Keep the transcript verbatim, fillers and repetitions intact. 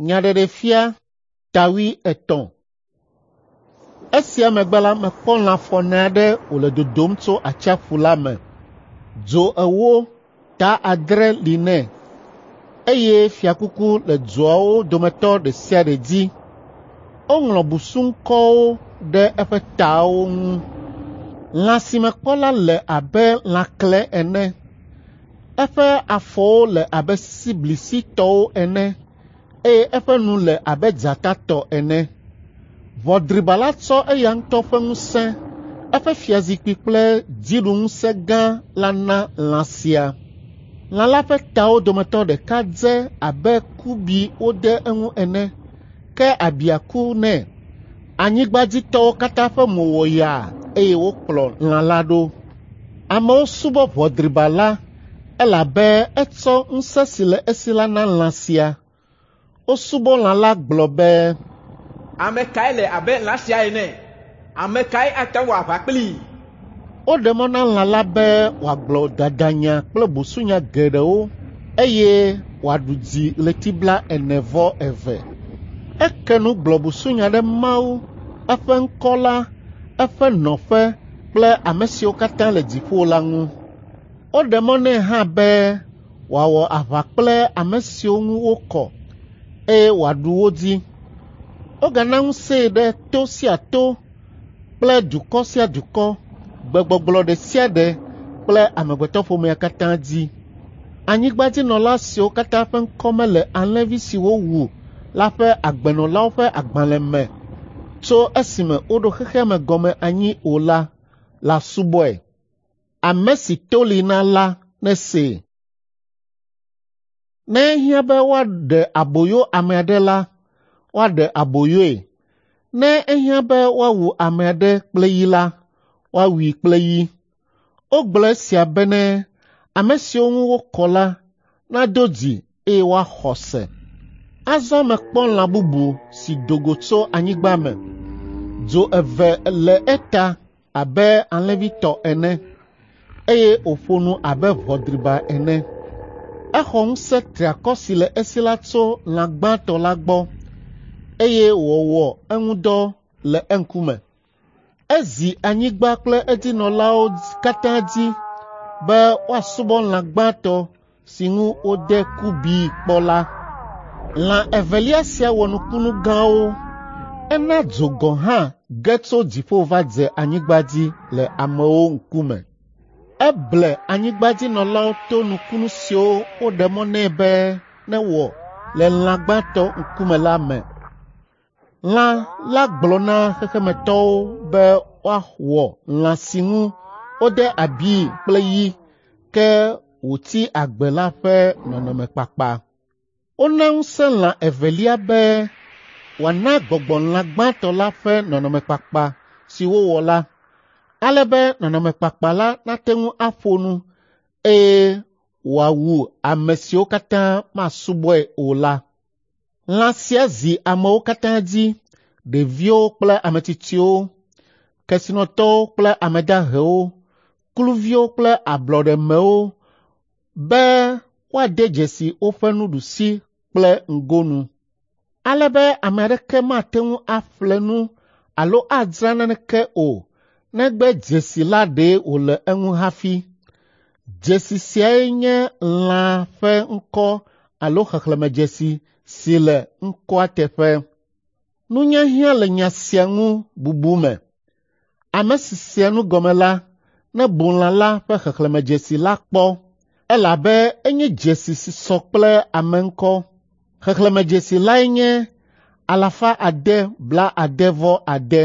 Nyaɖeɖefia ta wuietɔ̃. Esia megbe la, mekpɔ lã fɔne aɖe wòle dodom tso atsiaƒu la me. Dzo ewo, ta adre li nɛ, eye fiakuku le dzoawo dometɔ ɖe sia ɖe dzi. Woŋlɔ busuŋkɔwo ɖe eƒe tawo ŋu. Lã si mekpɔ la le abe lãkle ene. Eƒe afɔwo le abe sisiblisi tɔwo ene eye eƒe nu le abe dzata tɔ ene. Ʋɔ driba la tsɔ eya ŋutɔ ƒe ŋusẽ, eƒe fiazikpui kple dziɖuŋusẽ gã la na lã sia. Lã la ƒe tawo dometɔ ɖeka dze abe kubi wode eŋu ene, ke abia ku nɛ. Anyigbadzitɔwo katã ƒe mo wɔ yaa eye wokplɔ lã la ɖo. Amewo subɔ ʋɔ driba la elabe etsɔ ŋusẽ si le esi la na lã sia. Wosubɔ lã la gblɔ be, Ame kae le abe lã sia ene? Ame kae ate ŋu aʋa kplii? Woɖe mɔ na lã la be wòagblɔ dadanya kple busunya geɖewo eye wòaɖu dzi ɣleti blaene vɔ eve. Eke nu gblɔ busunya ɖe Mawu, eƒe ŋkɔ la, eƒe nɔƒe kple ame siwo katã le dziƒo la ŋu. Woɖe mɔ nɛ hã be wòawɔ aʋa kple ame siwo ŋu wokɔ, eye wòaɖu wo dzi. Wogana ŋusẽe ɖe to sia to kple dukɔ sia dukɔ, gbegbɔgblɔ ɖe sia ɖe kple amegbetɔƒomea katã dzi. Anyigbadzinɔla siwo katã ƒe ŋkɔ mele alẽvi si wowu la ƒe agbenɔlawo ƒe agbalẽ me tso esime woɖo xexea me gɔme anyi o la la subɔe. Ame si to li na la nesee. Ne ehiã be woaɖe aboyo ame aɖe la, woaɖe aboyoe. Ne ehiã be woawu ame aɖe kple yi la, woawui kple yi. Wogblɔ esia bene ame siwo ŋu wokɔ la nado dzi eye woaxɔ se. Azɔ mekpɔ lã bubu si do go tso anyigba me. Dzo eve le eta abe alẽvi tɔ ene, eye wòƒo nu abe ʋɔ driba ene. Exɔ ŋusẽ triakɔ si le esi la tso lã gbãtɔ la gbɔ, eye wòwɔ eŋu dɔ le eŋkume. Ezi anyigba kple edzinɔlawo katã dzi be woasubɔ lã gbãtɔ si ŋu wode kubii kpɔ la. Lã evelia sia wɔ nukunu gãwo. Ena dzo gɔ̃ hã ge tso dziƒo va dze anyigba dzi le amewo ŋkume. Eble anyigbadzinɔlawo to nukunu siwo woɖe mɔ nɛ be newɔ le lã gbãtɔ ŋkume la me. Lã la gblɔ na xexemetɔwo be woawɔ lã si ŋu wode abii kple yi ke wòtsi agbe la ƒe nɔnɔmekpakpa. Wona ŋusẽ lã evelia be wòana gbɔgbɔ lã gbãtɔ la ƒe nɔnɔmekpakpa si wowɔ la, ale be nɔnɔmekpakpa la nate ŋu aƒo nu eye wòawu ame siwo katã masubɔe o la. Lã sia zi amewo katã dzi, ɖeviwo kple ame tsitsiwo, kesinɔtɔwo kple ame dahewo, kluviwo kple ablɔɖemewo be woade dzesi woƒe nuɖusi kple ŋgonu. Ale be ame aɖeke mate ŋu aƒle nu alo adzra naneke o negbe dzesi la ɖee wòle eŋu hafi. Dzesi siae nye lã ƒe ŋkɔ alo xexlẽmedzesi si le ŋkɔa teƒe. Nunya hiã le nya sia ŋu bubu me. Ame si sea nu gɔme la nebu lã la ƒe xexlẽmedzesi la kpɔ, elabe enye dzesi si sɔ kple ame ŋkɔ. Xexlẽmedzesi lae nye alafa ade blaade-vɔ-ade.